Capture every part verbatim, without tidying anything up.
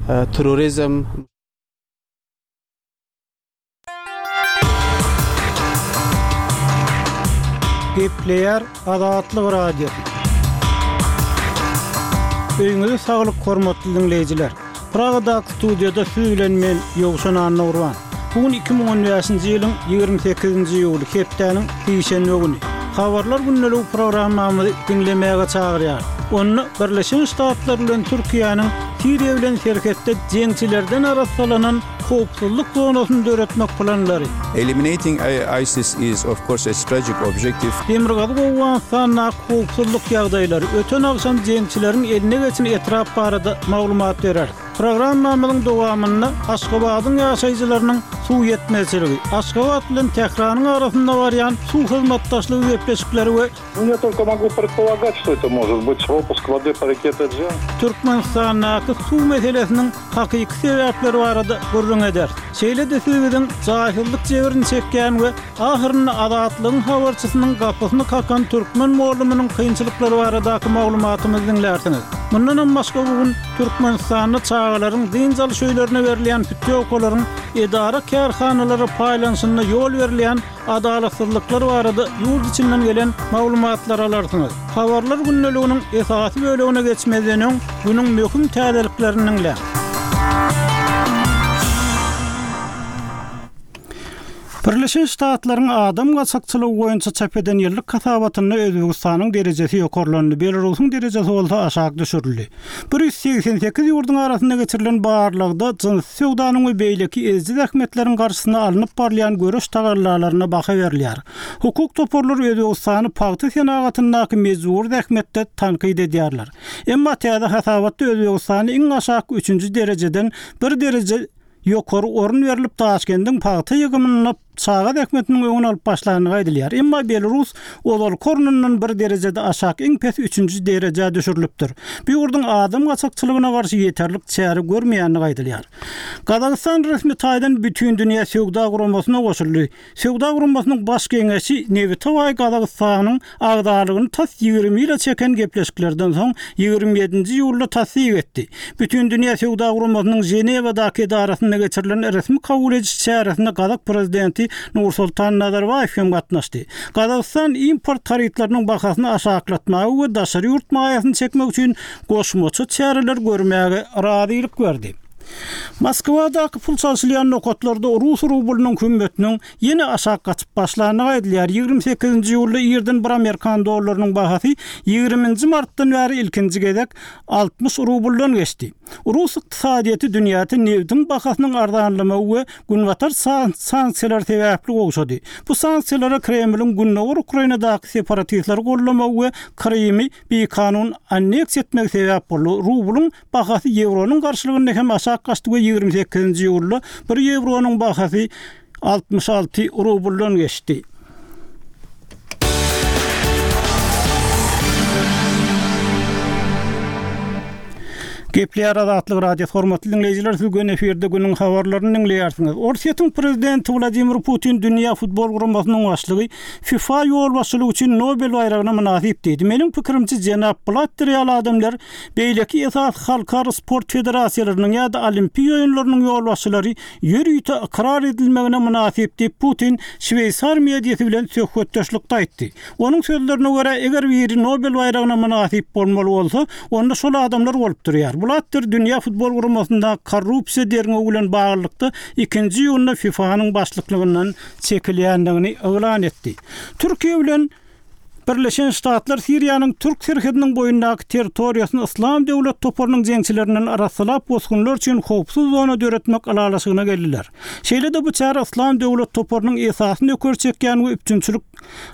تروریسم. Gepleýär Azatlyk Radiosy. Öýüňize saglyk hormatly diňleýjiler. Pragadaky studiýada siz bilen men Ýowşan Annagurban. Bugün iki müň on bäşinji ýylyň ýigrimi sekizinji iýuly hepdäniň sişenbe güni. Habarlar gündelik programmamyzy diňlemäge çagyrýar. Onda Birleşen Ştatlar bilen Türkiýäniň Siriýa bilen serhetde jeňçilerden arassalanan howpsuzlyk zonasyny döretmek planlary. Eliminating ISIS is of course a strategic objective. Demirgazyk Owganystandaky howpsuzlyk ýagdaýlary öten agşam jeňçileriň eline geçen etrap barada maglumat berer. Programmamyzyň dowamynda Aşgabadyň ýaşaýjylarynyň suw ýetmezçiligi, Aşgabat bilen Tähranyň arasynda barýan suw hyzmatdaşlygy gepleşikleri we Ну, я только могу предполагать, что это может быть пропуск воды по реке Теджен. Türkmenistandaky suw meselesiniň hakyky sebäpleri barada gürrüň eder. Şeýle-de siz biziň jahillik jebrini çekýän we ahyrynda azatlygyň habarçysynyň gapysyny kakan türkmen mugallymynyň kynçylyklary baradaky maglumatymyzy diňlärsiňiz. Mundan hem başga bugün Türkmenistanda çagalaryň dynç alyş öýlerine berilýän pütýowkalaryň edara kärhanalara paýlanyşyna ýol berilýän adalatsyzlyklar barada ýurt içinden gelen maglumatlar alarsyňyz. Habarlar gündeliginiň esasy bölegine geçmezden öň günüň möhüm täzeliklerini diňläň. Birleşen Ştatlaryň adam gaçakçylygy boýunça çap eden ýyllyk hasabatynda Özbegistanyň derejesi ýokarlandy, Belarusyň derejesi bolsa aşak düşürildi. Bir ýüz segsen sekiz ýurduň arasynda geçirilen barlagda jyns söwdanyň we beýleki eziji zähmetleriň garşysyna alnyp barylýan göreş tagallalaryna baha berilýär. Hukuk toparlary Özbegistany pagta senagatyndaky mejbur zähmetde tankyt edýärler. Emma täze hasabatda Özbegistany iň aşak üçünji derejeden bir dereje ýokary orun berilip Taşkendiň pagta ýygymyna çaga zähmetiniň öňüni alyp başlandygy aýdylýar. Emma Belarus ozal kornundan bir derejede aşak iň pes üçünji derejä düşürilipdir. Bu ýurduň adam gaçakçylygyna garşy ýeterlik çäre görmeýändigi aýdylýar. Gazagystan resmi taýdan bütün dünýä söwda guramasyna goşuldy. Söwda guramasynyň baş geňeşi Nebitowaý Gazagystanyň agzalygyny tas ýigrimi ýyla çeken gepleşiklerden soň ýigrimi ýedinji iýulda tassyk etdi. Bütün dünýä söwda guramasynyň Ženewadaky edarasynda geçirilen resmi kabul ediş çäresinde Gazak prezidenti Nursultan Nazarbaýew hem gatnaşdy. Gazagystan import harytlarynyň bahasyny aşaklatmagy we daşary ýurt maýasyny çekmek üçin goşmaça çäreler görmäge razylyk berdi. Moskwadaky pul çalşylýan nokatlarda rus rublynyň hümmetiniň ýene aşak gaçyp başlandygy aýdylýar. Ýigrimi sekizinji iýulda irden bir Amerikan dollarynyň bahasy ýigriminji martdan bäri ilkinji gezek altmyş rubldan geçdi. Rus ykdysadyýeti dünýäde nebitiň bahasynyň arzanlamagy we günbatar san-, sanksiýalar sebäpli gowşady. Bu sanksiýalara Kremliň Gündogar Ukrainadaky separatistleri gollamagy we Krymy bikanun anneksiýa etmegi sebäp boldy. Rublyň bahasy ýewronyň garşylygynda hem aşak gaçdy we ýigrimi sekizinji iýulda bir ýewronyň bahasy altmyş alty rubldan geçdi. Gepleýär Azatlyk Radiosy hormatly diňleýjiler, siz gün efirde günüň habarlaryny diňleýärsiňiz. Orsýetiň prezidenti Wladimir Putin dünýä futbol guramasynyň başlygy FIFA ýolbaşçylygy üçin Nobel baýragyna mynasyp diýdi. Meniň pikirimçe jenap Blatter ýaly adamlar beýleki esas halkara sport federasiýalarynyň ýa-da olimpiýa oýunlarynyň ýolbaşçylary ýörite ykrar edilmegine mynasyp diýip Putin Şweýsar mediasy bilen söhbetdeşlikde aýtdy. Onuň sözlerine görä, eger biri Nobel baýragyna mynasyp bolmaly bolsa, onda şol adamlar bolup durýar. Blatter dünýä futbol guramasynda korrupsiýa derňewi bilen baglylykda ikinji iýunda FIFA-nyň başlyklygyndan çekilýändigini yglan etdi. Türkiýe bilen Birleşen Ştatlar Siriýanyň Türk serhediniň boýundaky territoriýasyny Yslam döwlet toparynyň jeňçilerinden arassalap bosgunlar üçin howpsuz zona döretmek ylalaşygyna geldiler. Şeýle-de bu çäre Yslam döwlet toparynyň esasyny ökür çekýän we üpjünçilik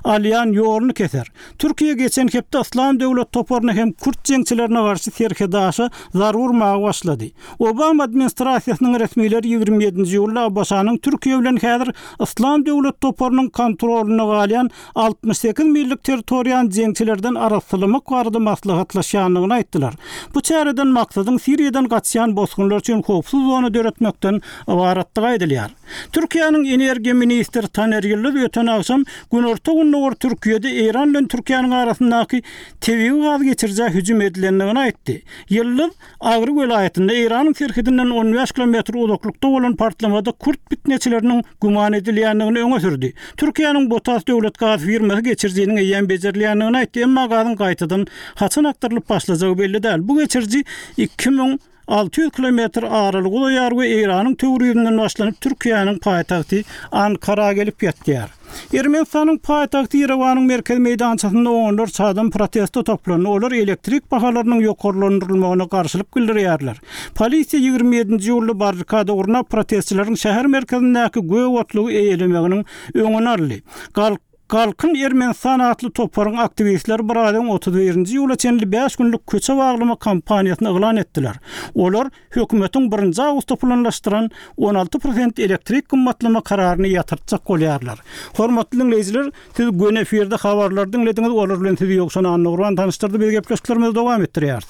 alýan ýoluny keser. Türkiýe geçen hepde Yslam döwlet toparyna hem Kürt jeňçilerine garşy serhedaşa zar urmaga başlady. Obama administrasiýasynyň resmileri ýigrimi ýedinji iýulda A B Ş-nyň Türkiýe bilen häzir Yslam döwlet toparynyň kontroluna galýan altmyş sekiz millik territoriýany jeňçilerden arassalamak barada maslahatlaşýandygyny aýtdylar. Bu çäreden maksadyň Siriýadan gaçýan bosgunlar üçin howpsuz zona döretmekden ybaratdygy aýdylýar. Türkiýäniň energiýa ministri Taner Ýyldyz öten agşam Günorta Gündogar Türkiýede Eýran bilen Türkiýäniň arasyndaky tebigy gaz geçirijä hüjüm edilendigini aýtdy. Ýyldyz Agry welaýatynda Eýranyň serhedinden on bäş kilometr uzaklykda bolan partlamada kürt pitneçileriniň güman edilýändigini öňe sürdi. Türkiýäniň BOTAŞ döwlet gaz firmasy geçirijiniň eýýäm bejerilýändigini aýtdy, emma gazyň gaýtadan haçan akdyrylyp başlajagy belli däl. Bu geçiriji iki müň alty ýüz kilometr aralyk uzaýar we Eýranyň Töwrizinden başlanyp Türkiýäniň paýtagty Ankara gelip ýetýär. Ermenistanyň paýtagty Ýerewanyň merkezi meýdançasynda onlarça adam proteste toplandy. Olar elektrik bahalarynyň ýokarlandyrylmagyna garşylyk bildirýärler. Polisiýa ýigrimi ýedinji iýulda barrikada gurnap protestçileriň şäher merkezindäki gök otlugy eýelemeginiň öňüni aldy. Galk Galkyn Ermenistan atly toparyň aktiwistleri bir aýyň otuz birinji iýula çenli bäş günlük köçe baglama kampaniýasyny yglan etdiler. Olar hökümetiň birinji awgustda planlaşdyran on alty prosent elektrik gymmatlama kararyny ýatyrtjak bolýarlar. Hormatly dinleýjiler, siz göni efirde habarlar diňlediňiz, olar bilen sizi Ýowşan Annagurban tanyşdyrdy. Biz gepleşiklerimizi dowam etdirýäris.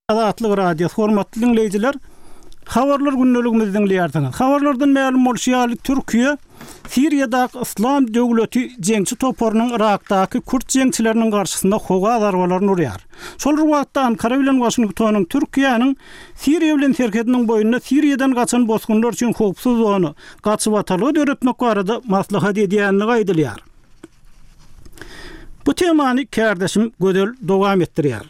Azatlyk Radiosy, hormatly dinleýjiler, habarlar gündeligimizi diňleýärsiňiz. Habarlardan mälim bolşy ýaly, Türkiýe Siriýadaky Yslam döwleti jeňçi toparynyň Irakdaky kürt jeňçileriniň garşysynda howa zarbalaryny urýar. Şol bir wagtda Ankara bilen Waşingtonyň Türkiýäniň Siriýa bilen serhediniň boýunda Siriýadan gaçan bosgunlar üçin howpsuz zona, gaçybatalga döretmek barada maslahat edýänligi aýdylýar. Bu temany kärdeşim Gözel dowam etdirýär.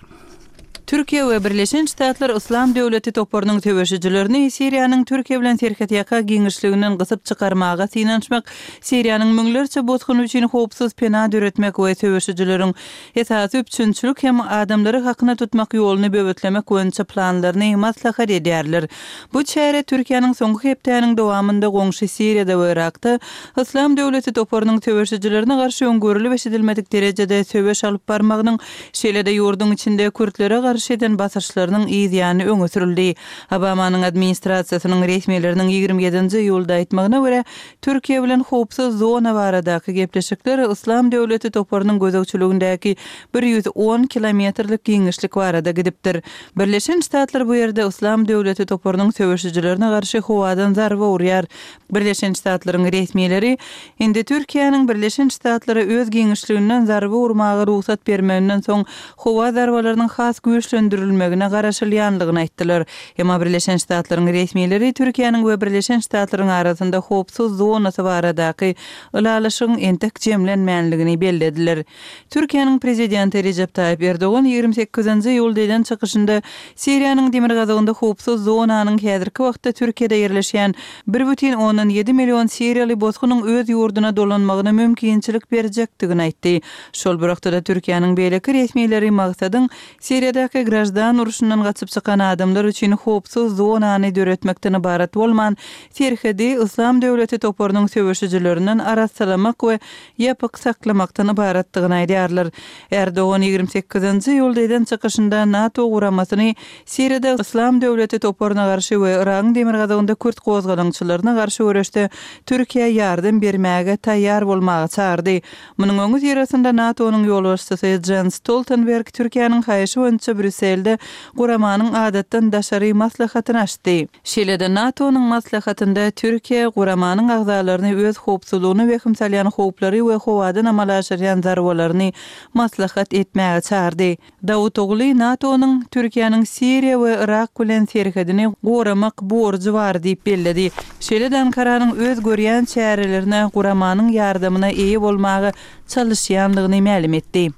Türkiýe we Birleşen Ştatlar Yslam döwleti toparynyň söweşijilerini Siriýanyň Türkiýe bilen serhetýaka giňişliginden gysyp çykarmaga synanyşmak, Siriýanyň müňlerçe bosgun üçin howpsuz pena döretmek we söweşijileriň esasy üpjünçilik hem adamlary hakyna tutmak ýoluny böwetlemek boýunça planlaryny maslahat edýärler. Bu çäre Türkiýäniň soňky hepdäniň dowamynda goňşy Siriýada we Irakda Yslam döwleti toparynyň söweşijilerine garşy öňgörülip eşidilmedik derejede söweş alyp barmagynyň, şeýle-de ýurduň içinde kürtlere garşy eden basyşlarynyň yzýany öňe sürüldi. Obamanyň administrasiýasynyň resmileriniň ýigrimi ýedinji iýulda aýtmagyna görä, Türkiýe bilen howpsuz zona baradaky gepleşikler Yslam döwleti toparynyň gözegçiligindäki bir ýüz on kilometrlik giňişlik barada gidipdir. Birleşen Ştatlar bu ýerde Yslam döwleti toparynyň söweşijilerine garşy howadan zarba urýar. Birleşen Ştatlaryň resmileri indi Türkiýäniň Birleşen Ştatlara öz giňişliginden zarba urmaga rugsat bermeginden soň howa zarbalarynyň has güýçlendirilmegine garaşylýanlygyny aýtdylar. Emma Birleşen Ştatlaryň resmileri Türkiýäniň we Birleşen Ştatlaryň arasynda howpsuz zonasy baradaky ylalaşygyň entek jemlenmänligini bellediler. Türkiýäniň prezidenti Recep Tayyip Erdogan ýigrimi sekizinji iýulda eden çykyşynda Siriýanyň demirgazygynda howpsuz zonanyň häzirki wagtda Türkiýede ýerleşýän bir bütin ondan ýedi million siriýaly bosgunyň öz ýurduna dolanmagyna mümkinçilik berjekdigini aýtdy. Şol bir wagtda Türkiýäniň beýleki resmileri maksadyň Siriýadaky grajdan urşundan gaçyp çykan adamlar üçin howpsuz zonany döretmekden ybarat bolman, serhedi Yslam döwleti toparynyň söweşijilerinden arassalamak we ýapyk saklamakdan ybaratdygyny aýdýarlar. Erdogan ýigrimi sekizinji iýulda eden çykyşynda NATO guramasyny Siriýada Yslam döwleti toparyna garşy we Yragyň demirgazygynda kürt gozgalaňçylaryna garşy göreşde Türkiýä ýardam bermäge taýýar bolmaga çagyrdy. Munuň öňi syrasynda NATO-nyň ýolbaşçysy Jens Stoltenberg Türkiýäniň haýyşy boýunça Brýusselde guramanyň adatdan daşary maslahatyny açdy. Şeýle-de NATO-nyň maslahatynda Türkiýe guramanyň agzalaryny öz howpsuzlygyna wehim salýan howplary we howadan amala aşyrýan zarbalaryny maslahat etmäge çagyrdy. Dawutogly NATO-nyň Türkiýäniň Siriýa we Irak bilen serhedini goramak borjy bar diýip belledi. Şeýle-de Ankaranyň öz görýän çärelerine guramanyň ýardamyna eýe bolmaga çalışýanlygyny mälim etdi.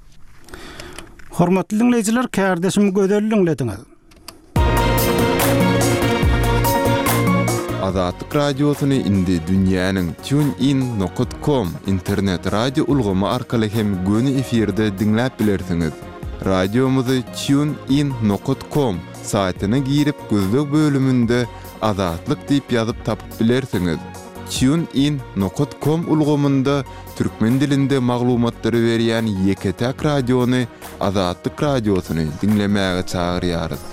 Hormatly dinleýjiler, kärdeşim Gözel diňlediňiz. Azatlyk Radiosyny indi dünýäniň TuneIn nokta com internet radio ulgamy arkaly hem göni efirde diňläp bilersiňiz. Radiomyzy TuneIn nokta com saýtyna girip gözleg bölüminde Azatlyk diýip ýazyp tapyp bilersiňiz. TuneIn nokta com ulgamynda türkmen dilinde maglumatlary berýän ýeke-täk radiony Azatlyk Radiosyny diňlemäge çagyrýarys.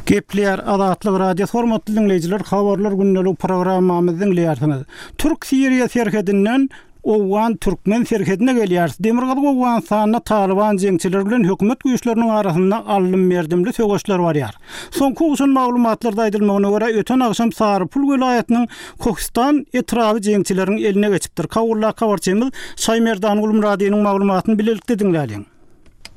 Gepleýär Azatlyk Radiosy, hormatly dinleýjiler, habarlar gündelik programmamyzy diňleýärsiňiz. Türk-Siriýa serhedinden Owgan-türkmen serhedine gelýäris. Demirgazyk Owganystanda Talyban jeňçileri bilen hökümet güýçleriniň arasynda aldym-berdimli söweşler barýar. Soňky gowşan maglumatlarda aýdylmagyna görä, öten agşam Sarypul welaýatynyň Kohistan etraby jeňçileriň eline geçipdir. Kabuldaky habarçymyz Şaýmerdan Gulmyradynyň maglumatyny bilelikde diňläliň.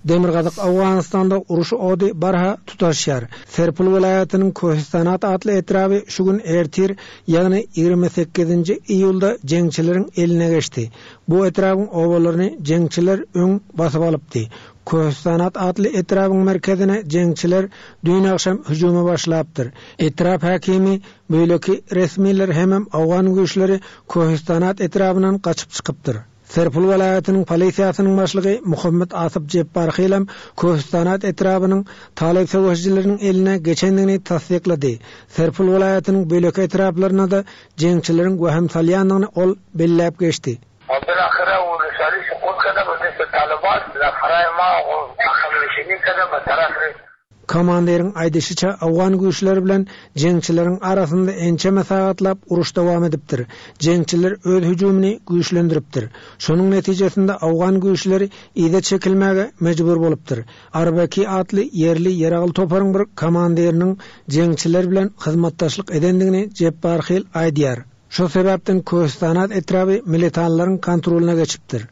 Demirgazyk Owganystanda uruş ody barha tutaşýar. Serpil welaýatynyň Kohistanat atly etraby şu gün ertir, ýagny ýigrimi sekizinji iýulda jeňçileriň eline geçdi. Bu etrabyň obalaryny jeňçiler öň basyp alypdy. Kohistanat atly etrabyň merkezine jeňçiler düýn agşam hüjüme başlapdyr. Etrap hakimi, beýleki resmiler hemem Owgan güýçleri Kohistanat etrabyndan gaçyp çykypdyr. Serpil welaýatynyň polisiýasynyň başlygy Muhammed Asyp Jepbarhylam Kohistanat etrabynyň Talyp söweşijileriniň eline geçendigini tassyklady. Serpil welaýatynyň beýleki etraplaryna da jeňçileriň wehim salýandygyny ol belläp geçdi. Komandiriň aýdyşyça Owgan güýçleri bilen jeňçileriň arasynda ençeme sagatlap uruş dowam edipdir. Jeňçiler öz hüjümini güýçlendiripdir. Şonuň netijesinde Owgan güýçleri yza çekilmäge mejbur bolupdyr. Arbaki atly ýerli ýaragly toparyň bir komandiriniň jeňçiler bilen hyzmatdaşlyk edendigini Jepbarhyl aýdýar. Şo sebäpden Kohistanat etraby militanlaryň kontrolyna geçipdir.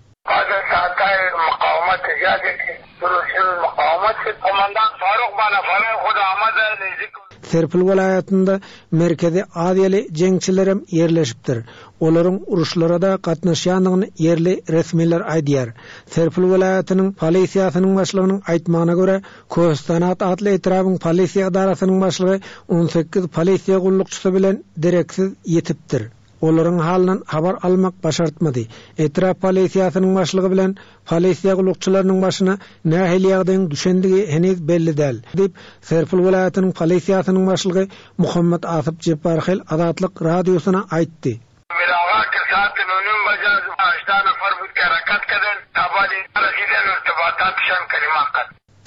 Serpil welaýatynda Merkezi Aziýaly jeňçilerem ýerleşipdir. Olaryň uruşlara da gatnaşýandygyny ýerli resmiler aýdýar. Serpil welaýatynyň polisiýasynyň başlygynyň aýtmagyna görä, Kohistanat atly etrabyň polisiýa edarasynyň başlygy on sekiz polisiýa gullukçysy bilen dereksiz ýetipdir. Olaryň halyndan habar almak başartmady. Etrap polisiýasynyň başlygy bilen polisiýa gullukçylarynyň başyna nähili ýagdaýyň düşendigi heniz belli däl, diýip Serpil welaýatynyň polisiýasynyň başlygy Muhammed Asyp Jepbarhyl Azatlyk radiosyna aýtdy.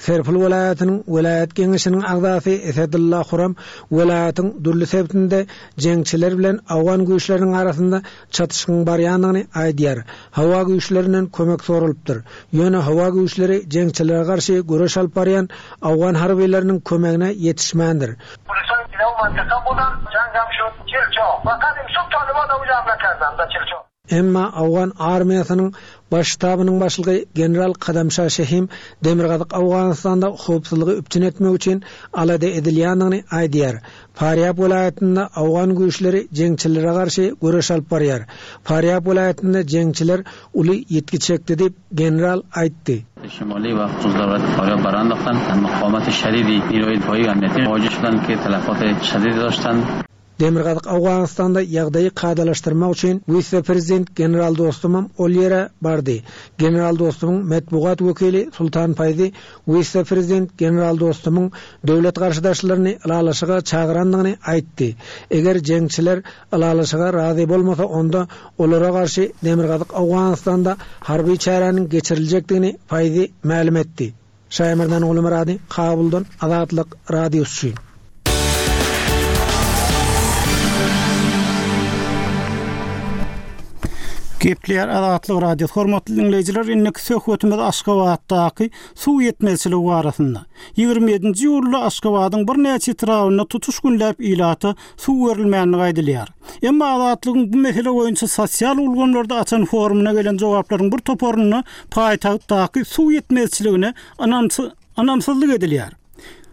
Serpil welaýatynyň welaýat geňeşiniň agzasy Esedullah Huram welaýatyň dürli sebitinde jeňçiler bilen Owgan güýçleriniň arasynda çatyşygyň barýandygyny aýdýar. Howa güýçlerinden kömek soralypdyr. Ýöne howa güýçleri jeňçilere garşy göreş alyp barýan Owgan harbylarynyň kömegine ýetişmändir. Emma Owgan armiýasynyň baş ştabynyň başlygy General Kadamşa Şehim Demirgazyk Owganystanda howpsuzlygy üpjün etmek üçin alada edilýändigini aýdýar. Farýab welaýatynda Owgan güýçleri jeňçilere garşy göreş alyp barýar. Farýab welaýatynda jeňçiler uly ýetki çekdi diýip general aýtdy. شمالی و خصوص فاریاب برانداختن مقاومت شدیدی نیروی دفاعی و امنیتی مواجه شدند که تلفات شدیدی داشتند. Demirgazyk Owganystanda ýagdaýy kadalaşdyrmak üçin wise-prezident General Dostumam ol ýere bardy. General Dostumyň metbugat wekili Sultan Faýzi wise-prezident General Dostumyň döwlet garşydaşlaryny ylalaşyga çagyrandygyny aýtdy. Eger jeňçiler ylalaşyga razy bolmasa, onda olara garşy Demirgazyk Owganystanda harby çäräniň geçiriljekdigini Faýzi mälim etdi. Şaýmerdan Gulmyrady, Kabuldan Azatlyk radiosy. Gepler Azatlyk Radiosy hormatly dinleýjiler, indiki söhbetimiz Aşgabatdaky suw ýetmezçiligi barasynda. Ýigrimi ýedinji iýulda Aşgabadyň birnäçe etrabynda tutuş günläp ilata suw berilmänligi aýdylýar. Emma Azatlygyň bu mesele boýunça sosial ulgamlarda açan forumyna gelen jogaplaryň bir toparynda paýtagtdaky suw ýetmezçiligine ynamsyzlyk edilýär.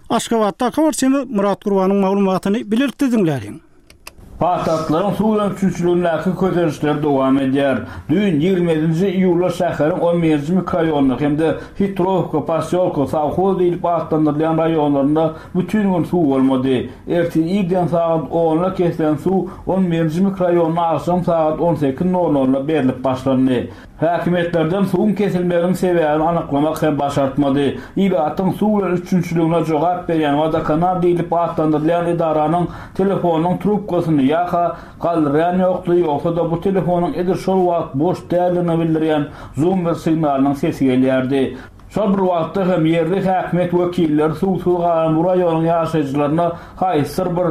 Aşgabatdaky habarçymyz Murat Gurbanyň maglumatyny bilelikde diňläliň. Paýtagtlaryň suw üpjünçiligindäki kötelişler dowam edýär. Düýn ýigrimi ýedinji iýulda şäheriň on birinji mikroraýonynda hem-de Hitrowka, Posýolka, Sawhoz diýlip atlandyrylýan raýonlarynda bütün gün suw bolmady. Ertir irden sagat onda kesilen suw on birinji mikroraýonda agşam sagat on sekiz nol nolda berilip başlandy. Häkimiýetlerden suwuň kesilmeginiň sebäbini anyklamak hem başartmady. Ilatyň suw bilen üpjünçiligine jogap berýän Wodokanal diýlip atlandyrylýan edaranyň telefonynyň trubkasyny ýa-ha galdyrýan ýokdy, ýogsa-da bu telefonyň edil şol wagt boş däldigini bildirýän zoomer signalynyň sesi gelýärdi. Şol bir wagtda hem ýerli häkimiýet wekilleri suwsuz galan bu raýonyň ýaşaýjylaryna haýsydyr bir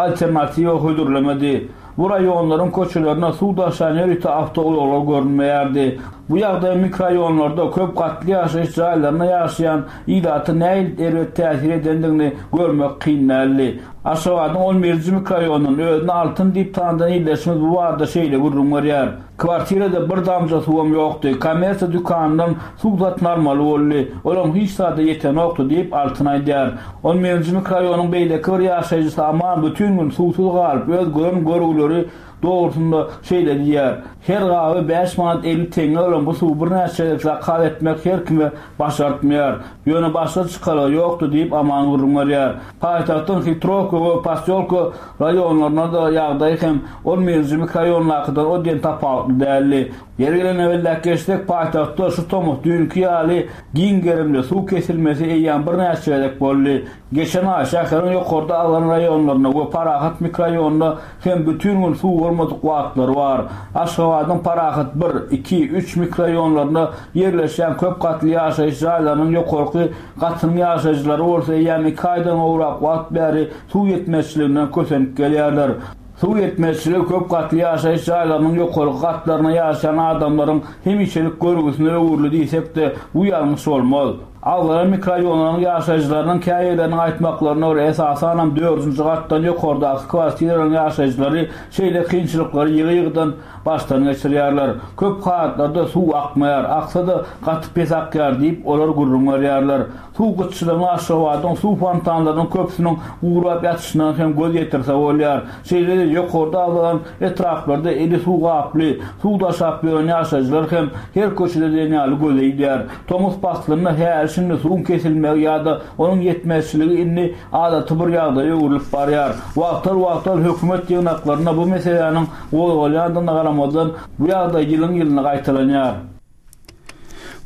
alternatiwa hödürlemedi. Bu raýonlaryň köçelerine suw daşan ýörite awtoulaglar görünmeýärdi. Bu ýagdaý mikroraýonlarda köp gatly ýaşaýyş jaýlarynda ýaşaýan ilata nähili erbet täsir edendigini görmek kyn däldi. Aşgabadyň on birinji mikroraýonynda özüni Altyn diýip tanydan ildeşimiz bu barada şeýle gürrüň berýär. Kwartirada bir damja suwum ýokdy. Kommersiýa dükanyndan suw satyn almaly boldy. Olam hiç zada ýetenokdy diýip Altyn aýdýar. On birinji mikroraýonyň beýleki bir ýaşaýjysy Aman bütün gün suwsuz galyp, öz gören görgüleri dogrusynda şeýle diýýär. Her gaby bäş manat elli teňňe bolan bu suwy birnäçe gezek zakaz etmek her kime başartmaýar. Ýöne başga çykalga ýokdy diýip Aman gürrüň berýär. Paýtagtyň Hitrowka we Posýolka raýonlarynda da ýagdaý hem on birinji mikroraýondakydan o diýen tapawutly däldi. Ýeri gelende belläp geçsek, paýtagtda şu tomus düýnki ýaly giň gerimli suw kesilmesi eýýäm birnäçe gezek boldy. Geçen aý şäheriň ýokarda alan raýonlarynda we Parahat mikroraýonynda hem bütün gün suw bolmadyk wagtlary bar. Aşgabadyň Parahat bir, iki, üç mikroraýonlarynda ýerleşýän köp gatly ýaşaýyş jaýlarynyň ýokarky gatynyň ýaşaýjylary bolsa eýýäm iki aýdan gowrak wagt bäri suw ýetmezçiliginden kösenip gelýärler. Suw ýetmezçiligi köp gatly ýaşaýyş jaýlarynyň ýokarky gatlaryna ýaşaýan adamlaryň hemişelik görgüsine öwrüldi diýsek-de bu ýalňyş bolmaz. Agzalan mikroraýonlaryň ýaşaýjylarynyň käýerleriniň aýtmaklaryna görä esasanam dördünji gatdan ýokardaky kwartiralaryň ýaşaýjylary şeýle kynçylyklary ýygy-ýygydan başdan geçirýärler. Köp halatlarda suw akmaýar, aksa-da gaty pes akýar diýip olar gürrüň berýärler. Suw gytçylygyny Aşgabadyň suw fontanlarynyň köpüsiniň gurap ýatyşyndan hem göz ýetirse bolýar. Şeýle-de ýokarda agzalan etraplarda eli suw gaply, suw daşap ýören ýaşaýjylar hem her köçede diýen ýaly göze ilýär. Tomus paslynda häli şindi suwuň kesilmegi ýa-da onuň ýetmezçiligi indi adaty bir ýagdaýa öwrülip barýar. Wagtal-wagtal hökümet ýygnaklarynda bu meseläniň gozgalýandygyna garamazdan bu ýagdaý ýylyň-ýylyna gaýtalanýar.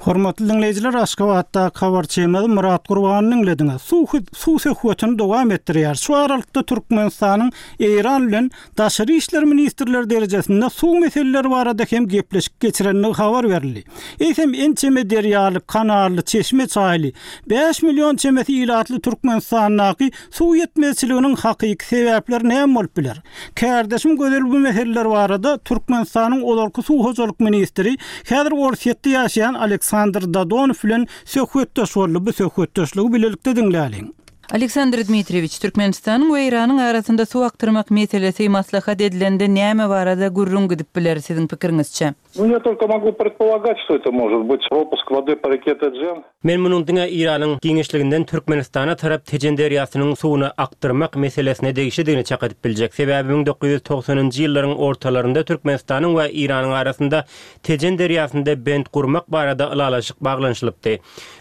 Hormatly dinleýjiler, Aşgabatda habarçymyz Murat Gurbanyň dinlediňiz. Suw suw söhbetini dowam etdirýär. Şu aralykda Türkmenistanyň Eýran bilen Daşary işler ministrleri derejesinde suw meseleleri barada hem gepleşik geçirenligi habar berildi. Eýsem ençeme derýaly, kanally, çeşme çaýly bäş million çemesi ilatly Türkmenistandaky suw ýetmezçiliginiň hakyky sebäpleri näme bolup biler? Kärdeşim Gözel bu meseleler barada Türkmenistanyň ozalky suw hojalyk ministri häzir Orsýetde ýaşaýan Aleksandr Dadonow bilen söhbetdeş boldy. Bu söhbetdeşligi bilelikde diňläliň. Aleksandr Dmitriýewiç, Türkmenistanyň we Eýranyň arasynda suw akdyrmak meselesi maslahat edilende näme barada gürrüň gidip biler siziň pikiriňizçe? Ну, я только могу предполагать, что это может быть пропуск воды по реке Теджен. Men munuň diňe Eýranyň giňişliginden Türkmenistana tarap Tejen derýasynyň suwuny akdyrmak meselesine degişlidigini çak edip biljek. Sebäbi müň dokuz ýüz togsanynjy ýyllaryň ortalarynda Türkmenistanyň we Eýranyň arasynda Tejen derýasynda bent gurmak barada ylalaşyk baglanyşylypdy.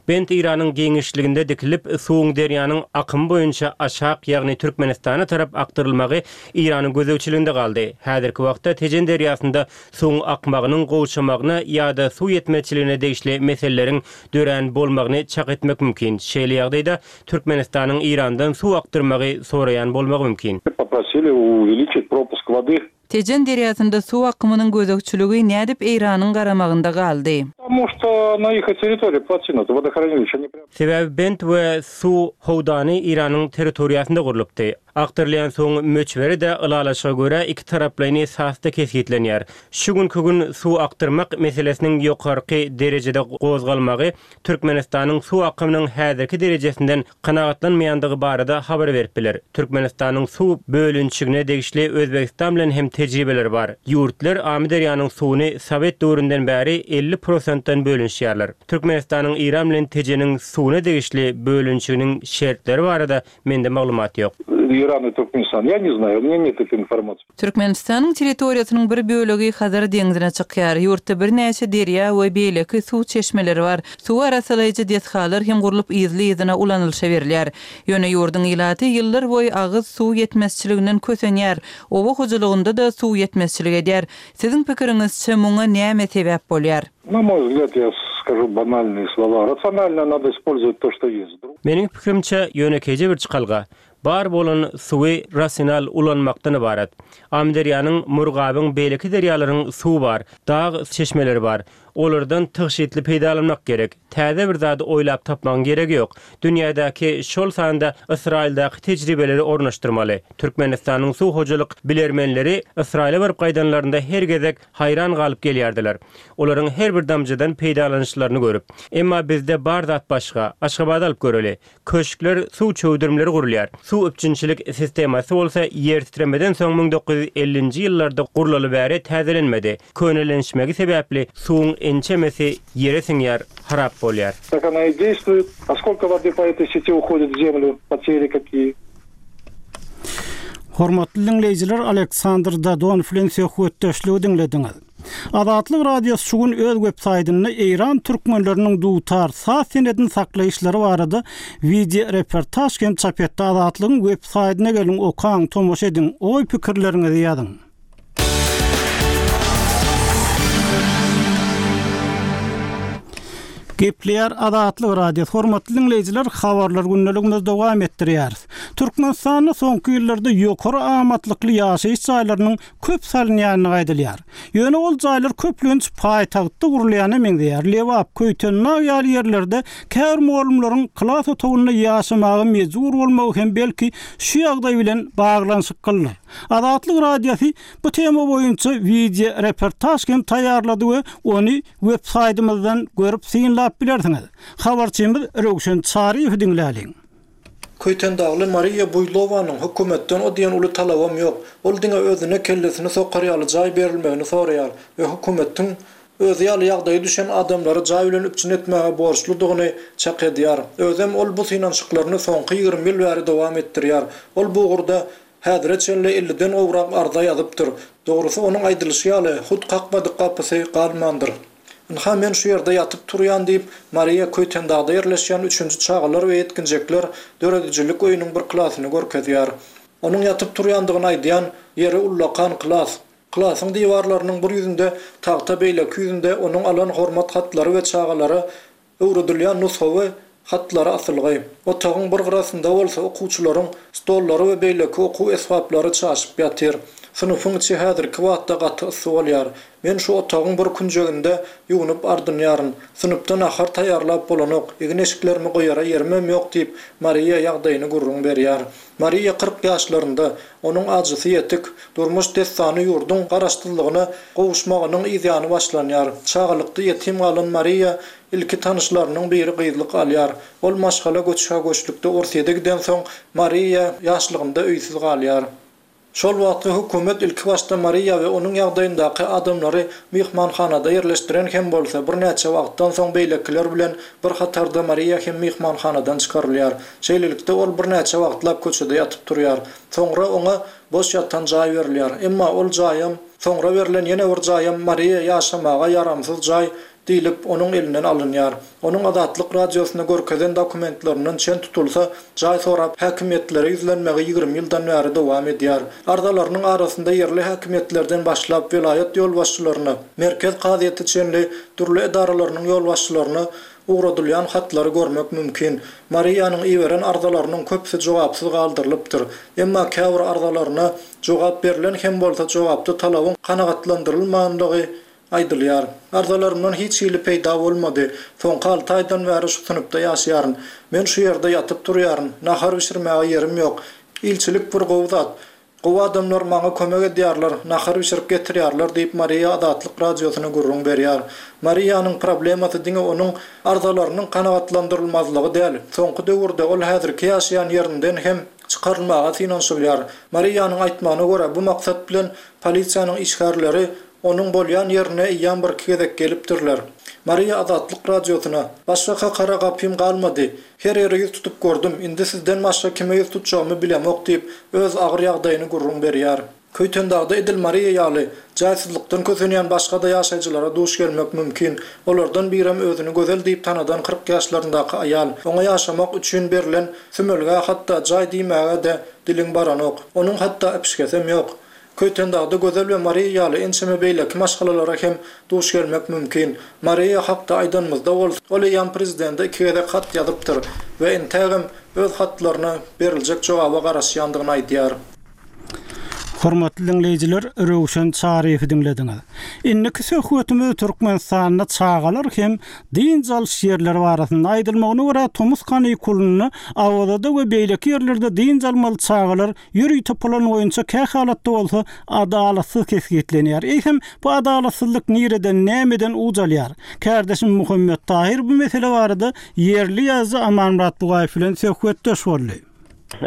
Bent Eýranyň giňişliginde dikilip, suwuň derýanyň akymy boýunça aşak, ýagny Türkmenistana tarap akdyrylmagy Eýranyň gözegçiliginde galdy. Häzirki wagtda Tejen derýasynda suwuň akmagynyň gowşamagyna ýa-da suw ýetmezçiligine degişli meseleleriň dörän bolmagyny çak etmek mümkin. Şeýle ýagdaýda Türkmenistanyň Eýrandan suw akdyrmagy soraýan bolmagy mümkin. Попросили увеличить пропуск воды. Tejen derýasynda suw akymynyň gözegçiligi nädip Eýranyň garamagynda galdy? Потому что на их территории плотина, это водохранилище не прям. Sebäbi bent we suw howdany Eýranyň territoriýasynda gurlupdy. Akdyrylýan suwuň möçberi de ylalaşyga görä iki taraplaýyn esasda kesgitlenýär. Şu günkü gün suw akdyrmak meselesiniň ýokarky derejede gozgalmagy Türkmenistanyň suw akymynyň häzirki derejesinden kanagatlanmaýandygy barada habar berip biler. Türkmenistanyň suw bölünçigine degişli Özbegistan bilen hem tejribeleri bar. Ýurtlar Amyderýanyň suwuny Sowet döwründen bäri elli prosentden bölünişýärler. Türkmenistanyň Eýran bilen Tejeniň suwuna degişli bölünçiginiň şertleri barada mende maglumat ýok. Иран и Туркменистан. Я не знаю, у меня нет этой информации. Türkmenistanyň territoriýasynyň bir bölegi Hazar deňzine çykýar. Ýurtda birnäçe derýa we beýleki suw çeşmeleri bar. Suw arasalaýjy desgalar hem gurlup yzly-yzyna ulanylyşa berilýär. Ýöne ýurduň ilaty ýyllar boýy agyz suw ýetmezçiliginden kösenýär. Oba hojalygynda da suw ýetmezçilik edýär. Siziň pikiriňizçe muňa näme sebäp bolýar? На мой взгляд, я скажу банальные слова. Рационально надо использовать то, что есть. Meniň pikirimçe ýönekeýje bir çykalga. Bar bolan suwy rasional ulanmakdan ibarat. Amyderýanyň, Murgabyň, beýleki derýalaryň suwy bar, dag çeşmeleri bar. Olardan tygşytly peýdalanmak gerek. Täze bir zady oýlap tapmagyň geregi ýok. Dünýädäki şol sanda Ysraýyldaky tejribeleri ornaşdyrmaly. Türkmenistanyň suw hojalyk bilermenleri Ysraýyla baryp gaýdanlarynda her gezek haýran galyp gelýärdiler. Olaryň her bir damjadan peýdalanyşlaryny görüp. Emma bizde bar zat başga. Aşgabady alyp göreli. Köşkler, suw çöwdürimleri gurulýar. Suw üpjünçilik sistemasy bolsa ýer titremeden soň müň dokuz ýüz ellinji ýyllarda gurlaly bäri täzelenmedi. Könelenişmegi sebäpli suwuň ençemesi ýere siňýär, harap bolýar. Так она и действует. А сколько воды по этой сети уходит в землю, потери какие? Hormatly diňleýjiler, Aleksandr Dadon bilen söhbetdeşligi diňlediňiz. Azatlyk Radiosy şu gün öz web saýtynda Eýran türkmenleriniň dutar saz senedini saklaýyşlary barada video reportaj hem çap etdi. Azatlygyň web saýtyna geliň, okaň, tomaşa ediň, oý pikirleriňizi ýazyň. Gepleýär Azatlyk Radiosy. Hormatly diňleýjiler, habarlar gündeligimizi dowam etdirýäris. Türkmenistanda soňky ýyllarda ýokary amatlykly ýaşaýyş jaýlarynyň köp salynýandygy aýdylýar. Ýöne ol jaýlar köplenç paýtagtda gurulýana meňzeýär. Lebap, Köýtendag ýaly ýerlerde käbir mugallymlaryň klas otagynda ýaşamaga mejbur bolmagy hem belki şu ýagdaý bilen baglanyşyklydyr. Azatlyk Radiosy bu tema boýunça video reportaj hem taýýarlady we ony web saýtymyzdan görüp synlap bilersiňiz. Habarçymyz Röwşen Çaryýew diňläliň. Köýtendagly Mariýa Buýlowanyň hökümetden o diýen uly talabam ýok. Ol diňe özüne kellesini sokar ýaly jaý berilmegini soraýar we hökümetiň özi ýaly ýagdaýy düşen adamlary jaý bilen üpjün etmäge borçludygyny çak edýär. Özem ol bu synanyşyklaryny soňky ýigrimi ýyl bäri dowam etdirýär. Ol bu ugurda häzire çenli elliden gowrak arza ýazypdyr. Dogrusy onuň aýdylyşy ýaly hut kakmadyk gapysy galmandyr. Ynha men şu ýerde ýatyp turýan diýip Mariýa Köýtendagda ýerleşýän üçünji çagalar we ýetginjekler döredijilik öýüniň bir klasyny görkezýär. Onuň ýatyp turýandygyny aýdýan ýeri ullakan klas. Klasyň diwarlarynyň bir ýüzünde tagta, beýleki ýüzünde onuň alan hormat hatlary we çagalara öwredilýän nusgawy hatlary asylgy. Otagyň bir gyrasynda bolsa okuwçylaryň stollary we beýleki okuw esbaplary çaşyp ýatyr. Synpyň içi häzirki wagtda gaty yssy bolýar. Men şu otagyň bir künjeginde ýuwunyp ardynýaryn. Synpda nahar taýýarlap bolanok, egin-eşiklerimi goýara ýerimem ýok diýip Mariýa ýagdaýyny gürrüň berýär. Mariýa kyrk ýaşlarynda, onuň ajysy ýetik, durmuş dessany ýurduň garaşsyzlygyna gowuşmagynyň yzýany başlanýar. Çagalykda ýetim galan Mariýa ilki tanyşlarynyň biri gyzlyk alýar. Ol maşgala göçhä-göçlükde Orsýete giden soň Mariýa ýaşlygynda öýsüz galýar. Şol wagtky hökümet ilki başda Mariýa we onuň ýagdaýyndaky adamlary myhmanhanada ýerleşdiren hem bolsa, birnäçe wagtdan soň beýlekiler bilen bir hatarda Mariýa hem myhmanhanadan çykarylýar. Şeýlelikde ol birnäçe wagtlap köçede ýatyp turýar. Soňra oňa boş ýatan jaý berilýär. Emma ol jaýam, soňra berlen ýene bir jaýam Mariýa ýaşamaga ýaramsyz jaý diýlip onuň elinden alynýar. Onuň Azatlyk Radiosyna görkezen dokumentlerinden çen tutulsa, jaý sorap häkimiýetlere ýüzlenmegi ýigrimi ýyldan bäri dowam edýär. Arzalarynyň arasynda ýerli häkimiýetlerden başlap welaýat ýolbaşçylaryna, merkez kazyýeti çenli dürli edaralarynyň ýolbaşçylaryna ugradylýan hatlary görmek mümkin. Mariýanyň iberen arzalarynyň köpüsi jogapsyz galdyrylypdyr. Emma käbir arzalaryna jogap berlen hem bolsa jogapda talabyň kanagatlandyrylmandygy aýdylýar. Arzalarymdan hiç hili peýda bolmady. Soňky alty aýdan bäri şu synpda ýaşaýaryn. Men şu ýerde ýatyp turýaryn. Nahar bişirmäge ýerim ýok. Ilçilik bir gowy zat. Gowy adamlar maňa kömek edýärler, nahar bişirip getirýärler diýip Mariýa Azatlyk Radiosyna gürrüň berýär. Mariýanyň problemasy diňe onuň arzalarynyň kanagatlandyrylmazlygy däl. Soňky döwürde ol häzirki ýaşaýan ýerinden hem çykarylmaga synanyşylýar. Mariýanyň aýtmagyna görä bu maksat bilen polisiýanyň işgärleri onuň bolýan ýerine eýýäm bir iki gezek gelipdirler. Mariýa Azatlyk Radiosyna başga kakara gapym galmady. Her ýere ýüz tutup gördüm. Indi sizden başga kime ýüz tutjagymy bilemok diýip öz agyr ýagdaýyny gürrüň berýär. Köýtendagda edil Mariýa ýaly jaýsyzlykdan kösenýän başga da ýaşaýjylara duş gelmek mümkin. Olardan birem özüni gözel diýip tanadan kyrk ýaşlaryndaky aýal. Oňa ýaşamak üçin berlen sümelge hatda jaý diýmäge-de diliň baranok. Onuň hatda äpişgesem ýok. Köýtendagda Gözel we Mariýa ýaly ençeme beýleki maşgalalara hem duş gelmek mümkin. Mariýa hakda aýdanymyzda bolsa, ol eýýäm prezidente iki gezek hat ýazypdyr we entägem öz hatlaryna beriljek jogaba garaşýandygyny aýdýar. Hormatly diňleýjiler, Röwşen Çaryýewi diňlediňiz. Indiki söhbetimiz Türkmenistanda çagalar hem dynç alyş ýerleri barasynda aýdylmagyna görä tomus kanikulynda Awazada we beýleki ýerlerde dynç almaly çagalar ýörite plan boýunça kähalatda bolsa adalatsyz kesgitlenýär. Eýsem, bu adalatsyzlyk nireden, nämeden uç alýar? Kärdeşim Muhammet Tahyr bu mesele barada ýerli ýazyjy Amanmyrat Bugaýew bilen söhbetdeş boldy.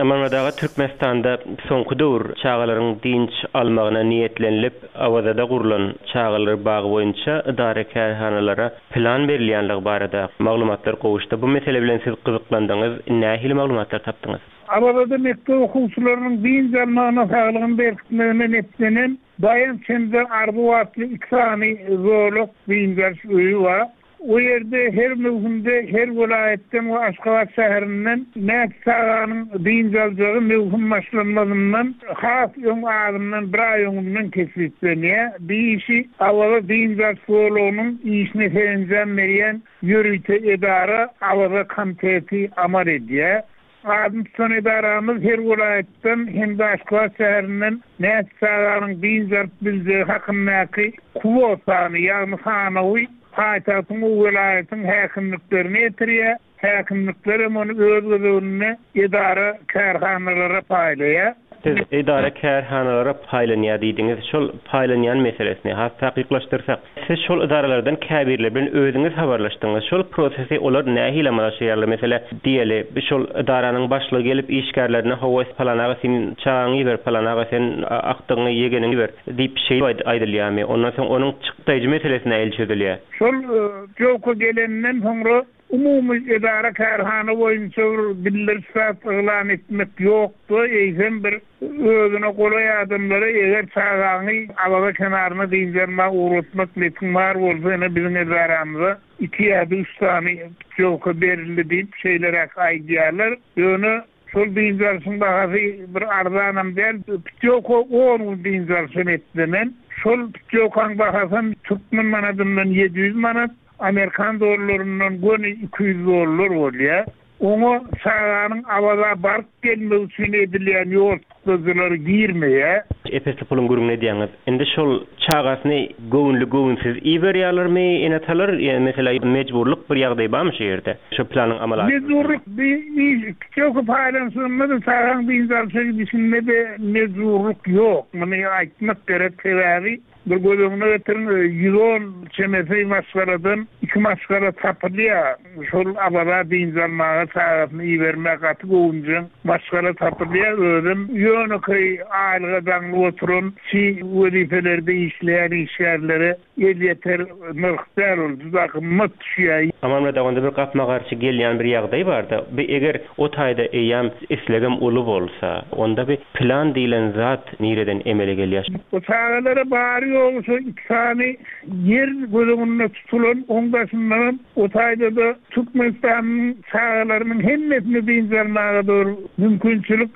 Amanmyrat aga, Türkmenistanda soňky döwür çagalaryň dynç almagyna niýetlenilip, Awazada gurlan çagalar bagy boýunça edara-kärhanalara plan berilýänligi barada maglumatlar gowuşdy. Bu mesele bilen siz gyzyklandyňyz, nähili maglumatlar tapdyňyz? Awazada mekdep okuwçylarynyň dynç almagyna, saglygyny berkitmegine niýetlenen Daýanç hem-de Arzuw atly iki sany zolak dynç alyş öýi bar. O ýerde her möwsümde her welaýatdan we Aşgabat şäherinden näçe çaganyň dynç aljagy möwsüm başlanmazyndan has öň azyndan bir aý öňünden kesgitlenýär. Bu işi Awaza dynç alyş zolagynyň işine serenjam berýän ýörite edara Awaza komiteti amal edýär. Adyny tutan edaramyz her welaýatdan hem-de Aşgabat şäherinden näçe çaganyň dynç alyp biljegi hakyndaky kwotany, ýagny sanawy paýtagtyň we welaýatyň häkimliklerine ýetirýär. Häkimlikler hem ony öz gezeginde edara-kärhanalara paýlaýar. Siz edara-kärhanalara paýlanýar diýdiňiz. Şol paýlanýan meselesini has takyklaşdyrsak, siz şol edaralardan käbirleri bilen özüňiz habarlaşdyňyz. Şol prosesi olar nähili amala aşyrýarlar? Mesele, diýeli, şol edaranyň başlygy gelip işgärlerine hawa, palan aga sen çagaňy iber, palan aga sen akdygyňy, ýegeniňi iber diýip şeýle aýdylýarmy? Ondan soň onuň çykdaýjy meselesi nähili çözülýär? Şol putýowka gelenden soňra umumy edara-kärhana boýunça bir bildiriş zat yglan etmek ýokdy, eýsem bir özüne golaý adamlara eger çagaňy Awaza kenaryna dynç almaga ugratmak niýetiň bar bolsa, ine biziň edaramyza iki ýa-da üç sany putýowka berildi diýip şeýleräk aýdýarlar. Ýöne şol dynç alşyň bahasy bir arzanam däl. Putýowka on gün dynç alşa niýetlenen. Şol putýowkaň bahasam türkmen manadyndan ýedi ýüz manat, amerikan dollaryndan göni iki ýüz dollar bolýar. Oňa çaganyň Awaza baryp gelmegi üçin edilýän ýol çykdajylary girmeýär. Ep-esli puluň gürrüňini edýäňiz. Indi şol çagasyny göwünli-göwünsiz iberýärlermi ene-atalar? Ýa meselä mejburlyk bir ýagdaý barmy şu ýerde? Şu planyň amala Mejburlyk bir iş putýowka paýlanyşygynda-da çagaň dynç alşa gidişinde-de mejburlyk ýok. Muny aýtmak gerek, sebäbi bir göz öňüne getiriň, ýüz on çemesi maşgaladan iki maşgala tapylýar. Şol Awaza dynç almaga çagasyny ibermäge gaty göwünjeň maşgala tapylýar. Özem ýönekeý aýlyga daňlyp oturan, çi wezipelerde işleýän işgärlere elýeter nyrh däl ol, juda gymmat düşýär. Amanmyrat aga, onda bir gapma-garşy gelýän bir ýagdaý bar-da. Bu eger o taýda eýýäm islegem uly bolsa, onda bir plan diýlen zat nireden emele gelýär? Bu çagalara bary ýogy şo iki sany ýer göz öňünde tutulan, oň daşyndanam o taýda-da Türkmenistanyň çagalarynyň hemmesini dynç almaga dogry mümkinçilik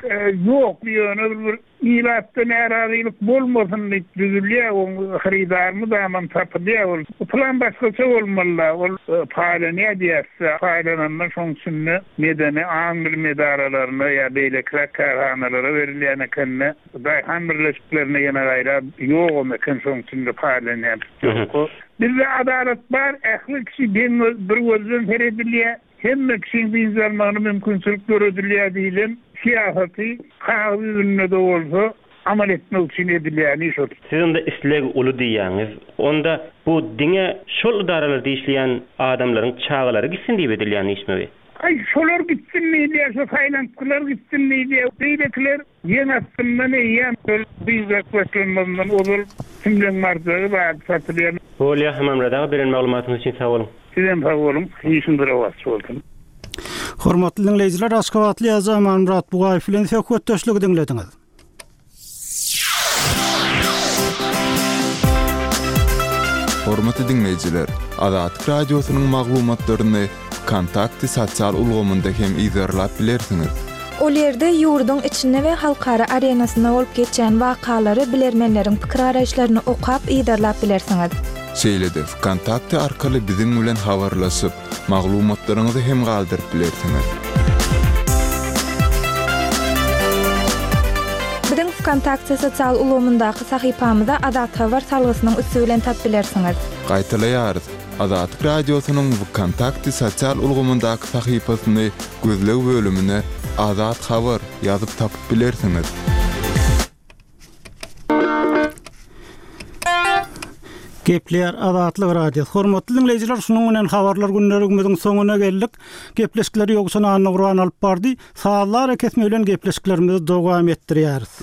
ýok. Ýöne bir ilatda närazylyk bolmasyn diýip düzülýär, oň hyrydary mydamam tapylýar ol. Bu plan başgaça bolmaly-da, ol paýlanýar diýýärse, paýlananda şoň içinde medeni aň-bilim edaralaryna ýa beýlekiräk kärhanalara berilýän ekende, daýhan birleşiklerine ýene gaýra ýogam eken şoň içinde paýlanýan putýowka. Bizde adalat bar, ähli kişi deň bir gözden seredilýär, hemme kişiň dynç almagyna mümkinçilik döredilýär diýlen syýasaty kagyz ýüzünde-de bolsa amal etmek üçin edilýän iş ol. Siz onda isleg uly diýýäňiz. Onda bu diňe şol edaralarda işleýän adamlaryň çagalary gitsin diýip edilýän işmi? Aý, şolar gitsin diýilýär, şo saýlantgylar gitsin diýilýär. Beýlekiler ýeň astyndan eýýäm şol dynç alyş başlanmazyndan ozal kimleň barjagy bar satylýar. Bolýar, Amanmyrat aga, beren maglumatyňyz üçin sag boluň. Sizem sag boluň, işiňiz rowaç bolsun. Hormatly diňleýjiler, Aşgabatly ýazyjy Amanmyrat Bugaýew bilen söhbetdeşligi diňlediňiz. Hormatly diňleýjiler, Azatlyk Radiosynyň maglumatlaryny Vkontakte sosial ulgamynda hem yzarlap bilersiňiz. Ol ýerde ýurduň içinde we halkara arenasynda bolup geçýän wakalary bilermenleriň pikir garaýyşlaryny okap yzarlap bilersiňiz. Şeýle-de Vkontakte arkaly biziň bilen habarlaşyp, maglumatlaryňyzy hem galdyryp bilersiňiz. Biziň Wkontakte sosial ulgamyndaky sahypamyza Azathabar salgysynyň üsti bilen tap bilersiňiz. Gaýtalaýarys, Azatlyk Radiosynyň Wkontakte sosial ulgamyndaky sahypasyny gözleg bölümine Azat Habar ýazyp tapyp bilersiňiz. Gepleýär Azatlyk Radiosy. Hormatly diňleýjiler, şunuň bilen habarlar günlerimiziň soňuna geldik. Gepleşikleri Ýowşan Annagurban alyp bardy. Sazlar kesme bilen gepleşiklerimizi dowam etdirýäris.